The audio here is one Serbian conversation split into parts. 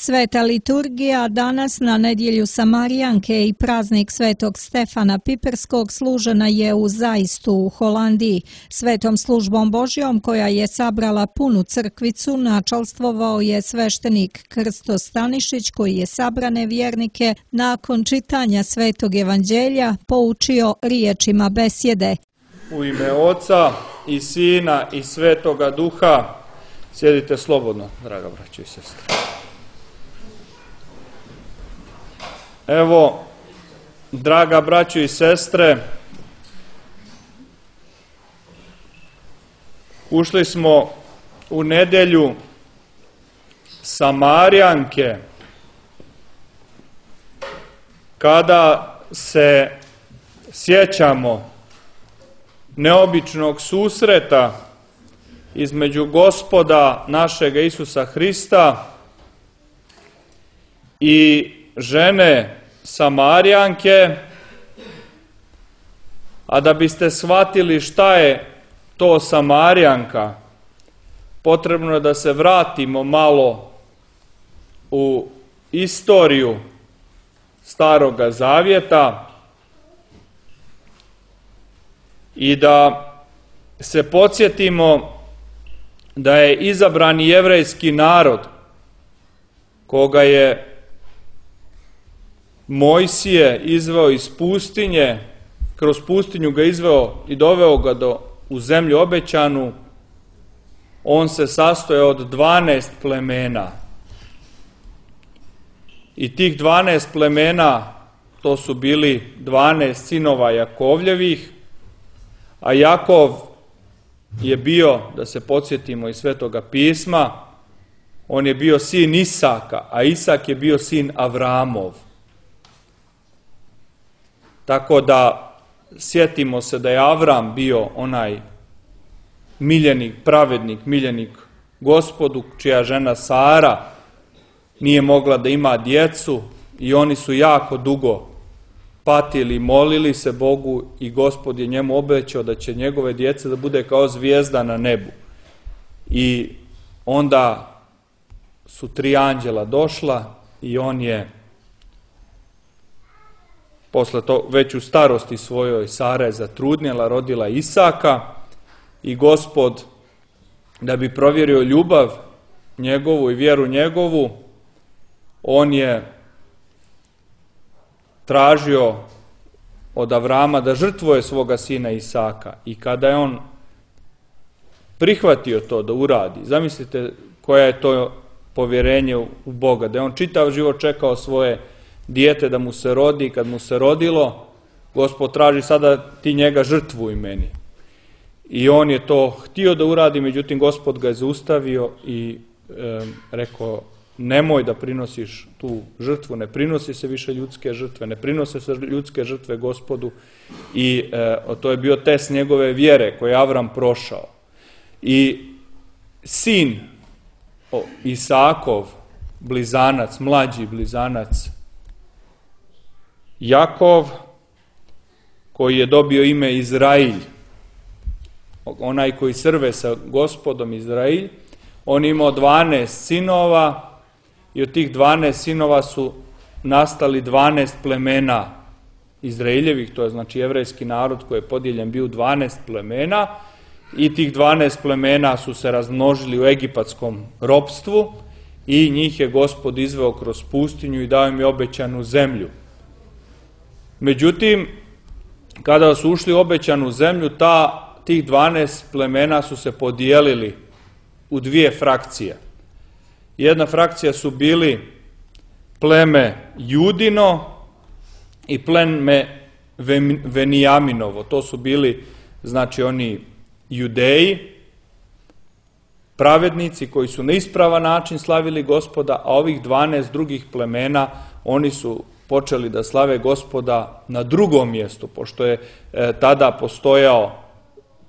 Sveta liturgija danas na nedjelju Samarijanke i praznik Svetog Stefana Piperskog služena je u Zaistu u Holandiji. Svetom službom Božjom koja je sabrala punu crkvicu načalstvovao je sveštenik Krsto Stanišić koji je sabrane vjernike nakon čitanja Svetog Evanđelja poučio riječima besjede. U ime Oca i Sina i Svetoga Duha, sjedite slobodno, draga braćo i sestre. Evo, draga braćo i sestre, ušli smo u nedjelju Samarijanke, kada se sjećamo neobičnog susreta između Gospoda našega Isusa Hrista i žene Samarijanke, a da biste shvatili šta je to Samarijanka, potrebno je da se vratimo malo u istoriju Staroga Zavjeta i da se podsjetimo da je izabrani jevrejski narod, koga je Mojsije izveo iz pustinje, kroz pustinju ga izveo i doveo ga u zemlju obećanu, on se sastoje od 12 plemena. I tih 12 plemena, to su bili 12 sinova Jakovljevih, a Jakov je bio, da se podsjetimo iz Svetoga pisma, on je bio sin Isaka, a Isak je bio sin Avramov. Tako da sjetimo se da je Avram bio onaj miljenik, pravednik, miljenik Gospodu, čija žena Sara nije mogla da ima djecu i oni su jako dugo patili, molili se Bogu i Gospod je njemu obećao da će njegove djece da bude kao zvijezda na nebu. I onda su 3 anđela došla i on je posle to već u starosti svojoj Sara je zatrudnjela, rodila Isaka i Gospod, da bi provjerio ljubav njegovu i vjeru njegovu, on je tražio od Avrama da žrtvuje svoga sina Isaka. I kada je on prihvatio to da uradi, zamislite koja je to povjerenje u Boga, da je on čitav život čekao svoje dijete da mu se rodi, i kad mu se rodilo, Gospod traži sada ti njega žrtvuj meni. I on je to htio da uradi, međutim Gospod ga je zaustavio i rekao, nemoj da prinosiš tu žrtvu, ne prinosi se više ljudske žrtve, ne prinose se ljudske žrtve Gospodu. I to je bio test njegove vjere koje je Avram prošao. I sin Isakov, blizanac, mlađi blizanac Jakov, koji je dobio ime Izrailj, onaj koji srve sa Gospodom Izrailj, on imao 12 sinova i od tih 12 sinova su nastali 12 plemena Izraeljevih, to je znači jevrejski narod koji je podijeljen bio u 12 plemena i tih 12 plemena su se razmnožili u egipatskom ropstvu i njih je Gospod izveo kroz pustinju i dao im je obećanu zemlju. Međutim, kada su ušli u obećanu zemlju, tih 12 plemena su se podijelili u 2 frakcije. Jedna frakcija su bili pleme Judino i pleme Venijaminovo. To su bili, znači, oni Judeji, pravednici koji su na ispravan način slavili Gospoda, a ovih 12 drugih plemena, oni počeli da slave Gospoda na drugom mjestu, pošto je tada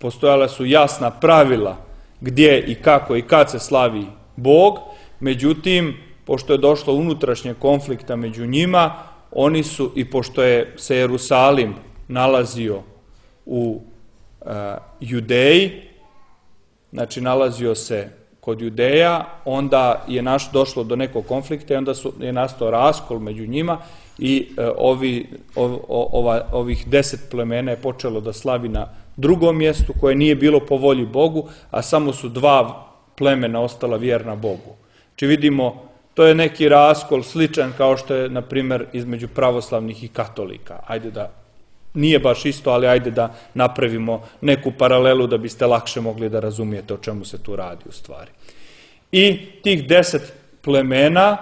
postojala su jasna pravila gdje i kako i kad se slavi Bog, međutim, pošto je došlo unutrašnje konflikta među njima, oni su, i pošto je se Jerusalim nalazio u Judeji, znači nalazio se kod Judeja, onda je došlo do nekog konflikta i onda je nastao raskol među njima i ovih 10 plemena je počelo da slavi na drugom mjestu koje nije bilo po volji Bogu, a samo su 2 plemena ostala vjerna Bogu. Znači vidimo, to je neki raskol sličan kao što je, na primjer, između pravoslavnih i katolika. Ajde da, nije baš isto, ali ajde da napravimo neku paralelu da biste lakše mogli da razumijete o čemu se tu radi u stvari. I tih 10 plemena,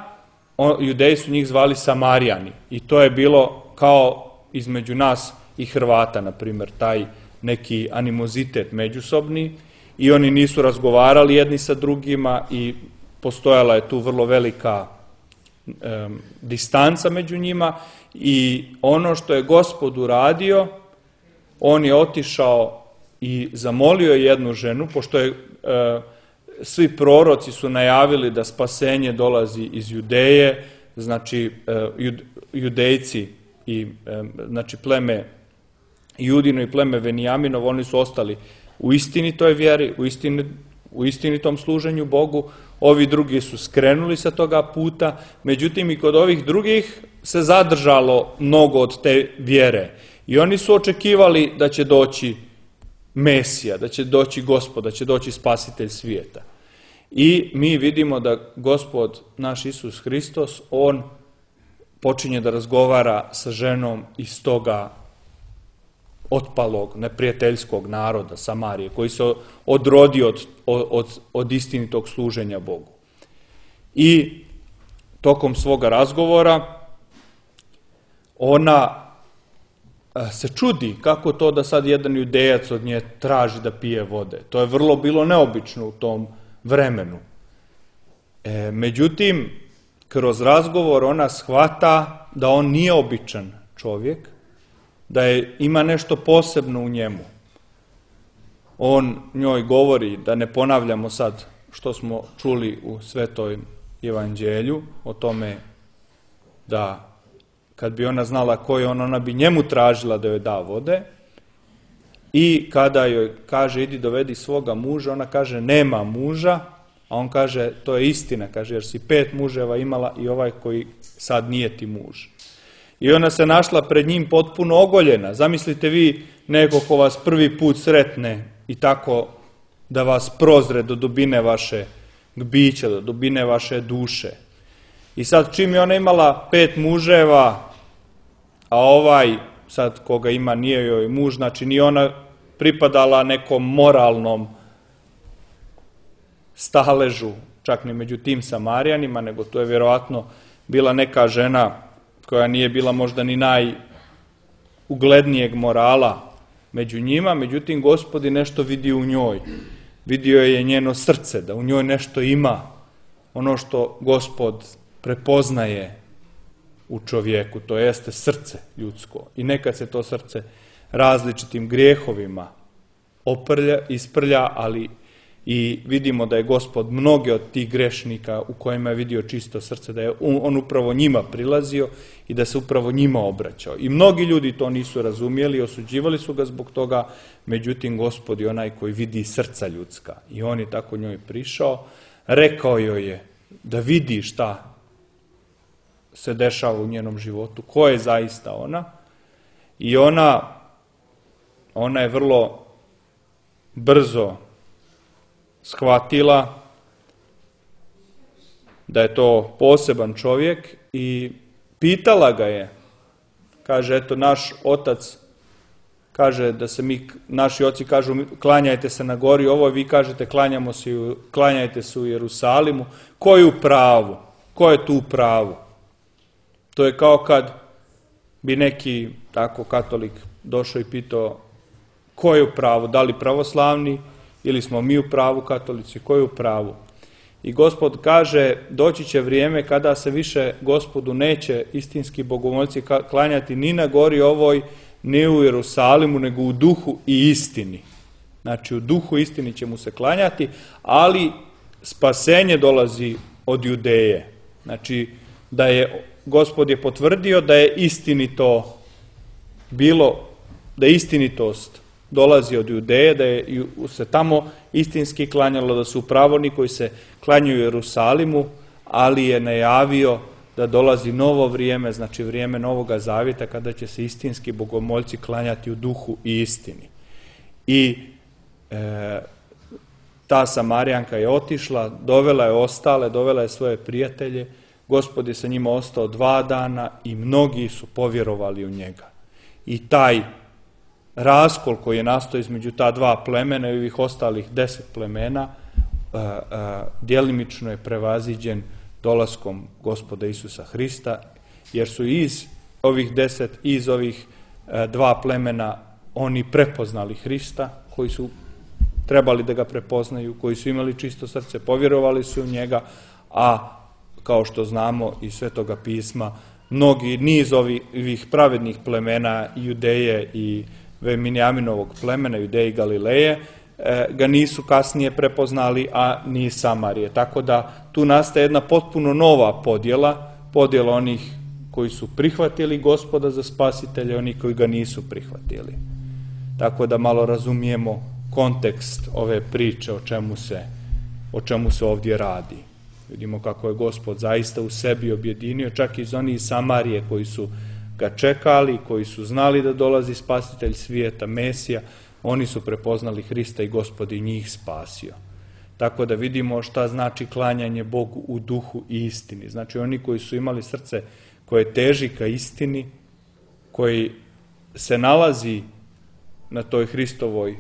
Judeji su njih zvali Samarijani. I to je bilo kao između nas i Hrvata, na primjer, taj neki animozitet međusobni. I oni nisu razgovarali jedni sa drugima i postojala je tu vrlo velika distanca među njima. I ono što je Gospod uradio, on je otišao i zamolio jednu ženu, pošto je svi proroci su najavili da spasenje dolazi iz Judeje, znači Judejci i znači pleme Judino i pleme Venijaminov, oni su ostali u istinitoj vjeri, u istinitom služenju Bogu. Ovi drugi su skrenuli sa toga puta, međutim i kod ovih drugih se zadržalo mnogo od te vjere. I oni su očekivali da će doći Mesija, da će doći Gospod, da će doći Spasitelj svijeta. I mi vidimo da Gospod, naš Isus Hristos, on počinje da razgovara sa ženom iz toga otpalog, neprijateljskog naroda Samarije, koji se odrodio od istinitog služenja Bogu. I tokom svoga razgovora ona se čudi kako to da sad jedan Judejac od nje traži da pije vode. To je vrlo bilo neobično u tom vremenu. Međutim, kroz razgovor ona shvata da on nije običan čovjek, da ima nešto posebno u njemu. On njoj govori, da ne ponavljamo sad što smo čuli u Svetom evanđelju, o tome da kad bi ona znala ko je on, ona bi njemu tražila da joj da vode. I kada joj kaže idi dovedi svoga muža, ona kaže nema muža, a on kaže to je istina, kaže jer si 5 muževa imala i ovaj koji sad nije ti muž. I ona se našla pred njim potpuno ogoljena. Zamislite vi neko ko vas prvi put sretne i tako da vas prozre do dubine vaše bića, do dubine vaše duše. I sad čim je ona imala 5 muževa, a ovaj sad koga ima nije joj muž, znači nije ona pripadala nekom moralnom staležu, čak ni među tim Samarijanima, nego to je vjerovatno bila neka žena koja nije bila možda ni najuglednijeg morala među njima, međutim Gospod je nešto vidio u njoj. Vidio je njeno srce, da u njoj nešto ima, ono što Gospod prepoznaje u čovjeku, to jeste srce ljudsko. I nekad se to srce različitim grijehovima isprlja, ali i vidimo da je Gospod mnoge od tih grešnika u kojima je vidio čisto srce, da je on upravo njima prilazio i da se upravo njima obraćao. I mnogi ljudi to nisu razumjeli, osuđivali su ga zbog toga, međutim Gospod je onaj koji vidi srca ljudska. I on je tako njoj prišao, rekao joj je da vidi šta se dešava u njenom životu, ko je zaista ona. I ona je vrlo brzo shvatila da je to poseban čovjek i pitala ga je. Kaže, eto, naš otac kaže da se naši oci kažu klanjajte se na gori, ovo vi kažete klanjajte se u Jerusalimu. Ko je u pravu? Ko je tu u pravu? To je kao kad bi neki tako katolik došao i pitao ko je u pravu, da li pravoslavni ili smo mi u pravu katolici, ko je u pravu. I Gospod kaže, doći će vrijeme kada se više Gospodu neće istinski bogomoljci klanjati ni na gori ovoj, ni u Jerusalimu, nego u duhu i istini. Znači u duhu i istini će mu se klanjati, ali spasenje dolazi od Judeje. Znači da je Gospod je potvrdio da je istinito bilo, da je istinitost dolazi od Judeje, da je se tamo istinski klanjalo, da su upravo oni koji se klanjaju u Jerusalimu, ali je najavio da dolazi novo vrijeme, znači vrijeme Novoga Zavjeta, kada će se istinski bogomoljci klanjati u duhu i istini. I ta Samarijanka je otišla, dovela je ostale, dovela je svoje prijatelje, Gospod je sa njima ostao 2 dana i mnogi su povjerovali u njega. I taj raskol koji je nastao između ta 2 plemena i ovih ostalih 10 plemena djelimično je prevaziđen dolaskom Gospoda Isusa Hrista, jer su iz ovih 10, iz ovih 2 plemena oni prepoznali Hrista, koji su trebali da ga prepoznaju, koji su imali čisto srce, povjerovali su u njega, a kao što znamo iz Svetoga pisma, mnogi niz ovih pravednih plemena Judeje i Venjaminovog plemena, Judeje i Galileje, ga nisu kasnije prepoznali, a ni Samarije. Tako da tu nastaje jedna potpuno nova podjela onih koji su prihvatili Gospoda za spasitelja i oni koji ga nisu prihvatili. Tako da malo razumijemo kontekst ove priče o čemu se ovdje radi. Vidimo kako je Gospod zaista u sebi objedinio, čak i iz onih Samarije koji su ga čekali, koji su znali da dolazi spasitelj svijeta, Mesija, oni su prepoznali Hrista i Gospod i njih spasio. Tako da vidimo šta znači klanjanje Bogu u duhu i istini. Znači oni koji su imali srce koje teži ka istini, koji se nalazi na toj Hristovoj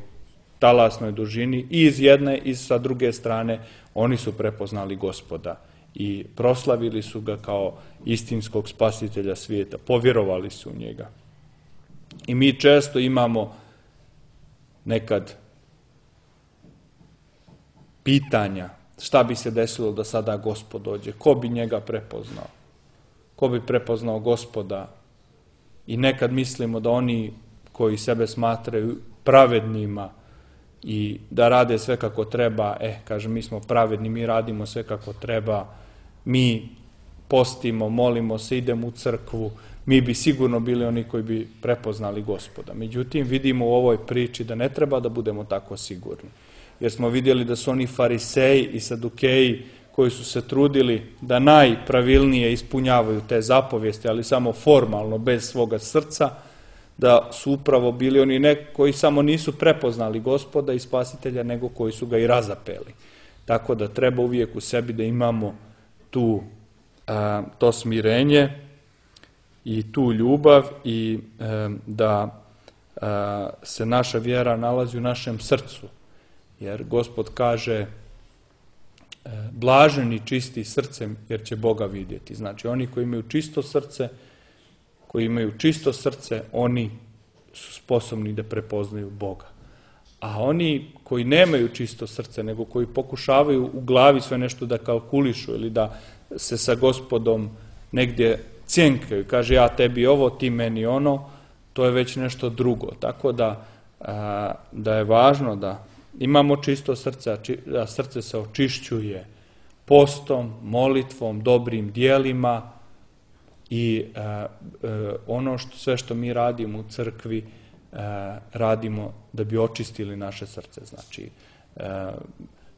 talasnoj dužini i iz jedne i sa druge strane, oni su prepoznali Gospoda i proslavili su ga kao istinskog spasitelja svijeta, povjerovali su u njega. I mi često imamo nekad pitanja šta bi se desilo da sada Gospod dođe, ko bi njega prepoznao, ko bi prepoznao Gospoda, i nekad mislimo da oni koji sebe smatraju pravednima i da rade sve kako treba, kaže, mi smo pravedni, mi radimo sve kako treba, mi postimo, molimo se, idemo u crkvu, mi bi sigurno bili oni koji bi prepoznali Gospoda. Međutim, vidimo u ovoj priči da ne treba da budemo tako sigurni, jer smo vidjeli da su oni fariseji i sadukeji koji su se trudili da najpravilnije ispunjavaju te zapovijesti, ali samo formalno, bez svoga srca, da su upravo bili oni koji samo nisu prepoznali Gospoda i spasitelja, nego koji su ga i razapeli. Tako da treba uvijek u sebi da imamo to smirenje i tu ljubav i da se naša vjera nalazi u našem srcu. Jer Gospod kaže blaženi čisti srcem, jer će Boga vidjeti. Znači oni koji imaju čisto srce, oni su sposobni da prepoznaju Boga. A oni koji nemaju čisto srce, nego koji pokušavaju u glavi sve nešto da kalkulišu ili da se sa Gospodom negdje cjenkaju, kaže ja tebi ovo, ti meni ono, to je već nešto drugo. Tako da je važno da imamo čisto srce, a srce se očišćuje postom, molitvom, dobrim dijelima i sve što mi radimo u crkvi radimo da bi očistili naše srce. Znači,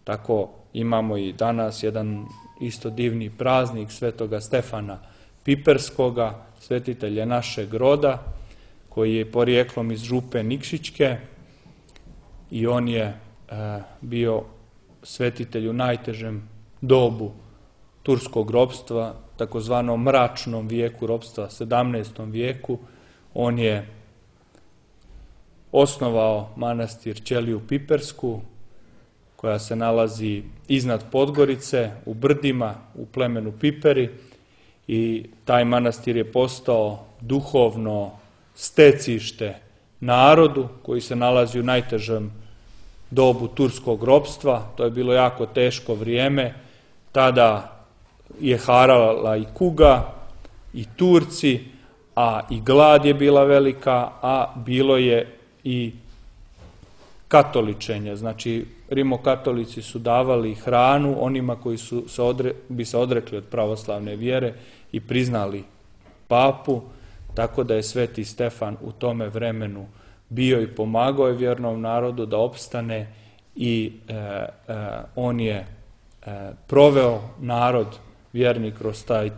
tako imamo i danas jedan isto divni praznik Svetoga Stefana Piperskoga, svetitelja našeg roda, koji je porijeklom iz Župe Nikšićke i on je bio svetitelj u najtežem dobu turskog ropstva, takozvanom mračnom vijeku ropstva, 17. vijeku. On je osnovao manastir Ćeliju Pipersku, koja se nalazi iznad Podgorice, u brdima, u plemenu Piperi, i taj manastir je postao duhovno stecište narodu koji se nalazi u najtežem dobu turskog ropstva. To je bilo jako teško vrijeme. Tada je harala i kuga i Turci, a i glad je bila velika, a bilo je i katoličenje. Znači, rimokatolici su davali hranu onima koji bi se odrekli od pravoslavne vjere i priznali papu, tako da je sveti Stefan u tome vremenu bio i pomagao je vjernom narodu da opstane i on je proveo narod vjerni kroz taj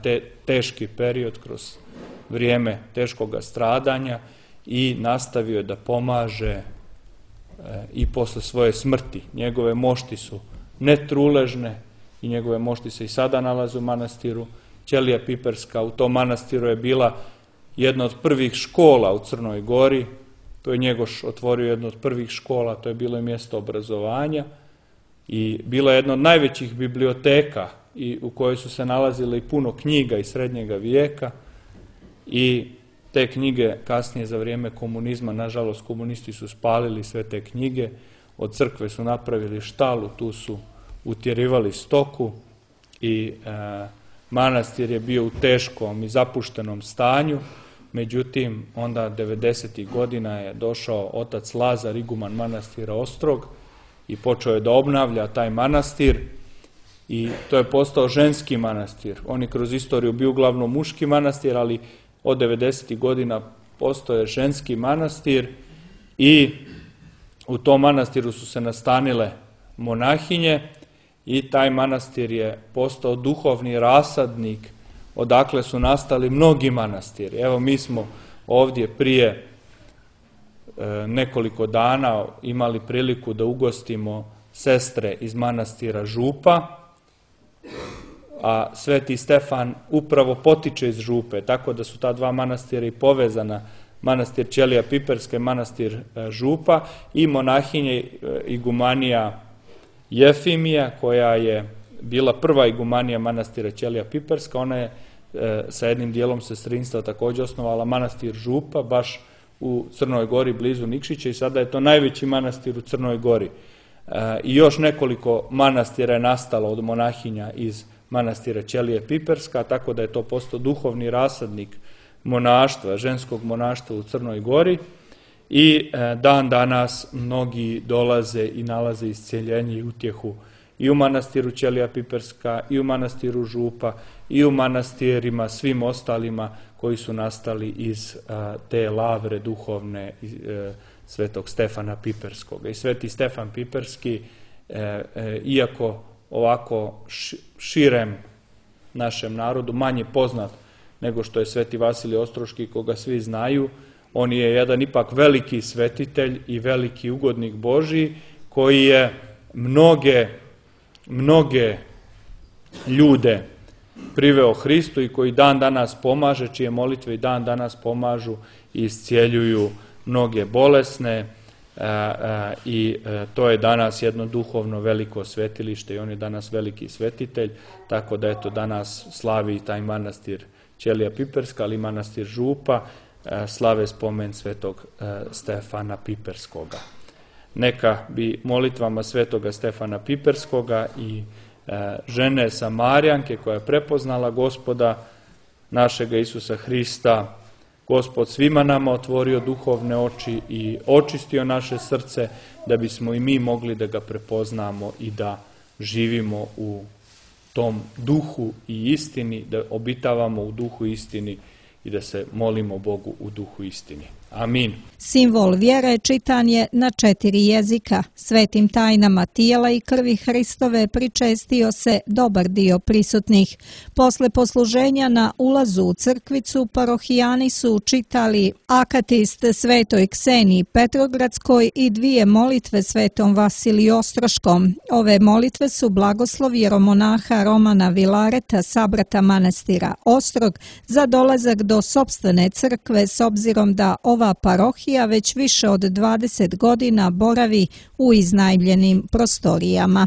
teški period, kroz vrijeme teškoga stradanja i nastavio je da pomaže i posle svoje smrti. Njegove mošti su netruležne i njegove mošti se i sada nalaze u manastiru. Ćelija Piperska u tom manastiru je bila jedna od prvih škola u Crnoj Gori. To je Njegoš otvorio jednu od prvih škola, to je bilo i mjesto obrazovanja i bila je jedna od najvećih biblioteka i u kojoj su se nalazile i puno knjiga iz srednjega vijeka i te knjige kasnije za vrijeme komunizma, nažalost komunisti su spalili sve te knjige, od crkve su napravili štalu, tu su utjerivali stoku i manastir je bio u teškom i zapuštenom stanju. Međutim, onda 90. godina je došao otac Lazar, iguman manastira Ostrog i počeo je da obnavlja taj manastir i to je postao ženski manastir. On je kroz istoriju bio uglavnom muški manastir, ali od 90. godina postao je ženski manastir i u tom manastiru su se nastanile monahinje i taj manastir je postao duhovni rasadnik odakle su nastali mnogi manastiri. Evo, mi smo ovdje prije nekoliko dana imali priliku da ugostimo sestre iz manastira Župa, a Sveti Stefan upravo potiče iz Župe, tako da su ta dva manastira i povezana, manastir Ćelija Piperska i manastir Župa, i monahinje igumanija Jefimija, koja je bila prva igumanija manastira Ćelija Piperska. Ona je sa jednim dijelom sestrinstva također osnovala manastir Župa, baš u Crnoj Gori blizu Nikšića, i sada je to najveći manastir u Crnoj Gori. I još nekoliko manastira je nastalo od monahinja iz manastira Ćelije Piperska, tako da je to postao duhovni rasadnik monaštva, ženskog monaštva u Crnoj Gori, i dan danas mnogi dolaze i nalaze isceljenje i utjehu i u manastiru Ćelija Piperska, i u manastiru Župa, i u manastirima svim ostalima koji su nastali iz te lavre duhovne Svetog Stefana Piperskog. I Sveti Stefan Piperski, iako ovako širem našem narodu manje poznat nego što je Sveti Vasilij Ostroški, koga svi znaju, on je jedan ipak veliki svetitelj i veliki ugodnik Božji, koji je mnoge ljude priveo Hristu i koji dan danas pomaže, čije molitve i dan danas pomažu i iscijeljuju mnoge bolesne, i to je danas jedno duhovno veliko svetilište i on je danas veliki svetitelj, tako da eto danas slavi taj manastir Ćelija Piperska, ali i manastir Župa slave spomen Svetog Stefana Piperskoga. Neka bi molitvama Svetoga Stefana Piperskoga i žene Samarijanke koja je prepoznala Gospoda našega Isusa Hrista, Gospod svima nama otvorio duhovne oči i očistio naše srce, da bismo i mi mogli da ga prepoznamo i da živimo u tom duhu i istini, da obitavamo u duhu istini i da se molimo Bogu u duhu istini. Amin. Simbol vjere čitan je na 4 jezika. Svetim tajnama tijela i krvi Hristove pričestio se dobar dio prisutnih. Posle posluženja na ulazu u crkvicu, parohijani su čitali akatist Svetoj Kseniji Petrogradskoj i 2 molitve Svetom Vasiliju Ostroškom. Ove molitve su blagoslov jeromonaha Romana Vilareta, sabrata manastira Ostrog, za dolazak do sopstvene crkve, s obzirom da ova parohija već više od 20 godina boravi u iznajmljenim prostorijama.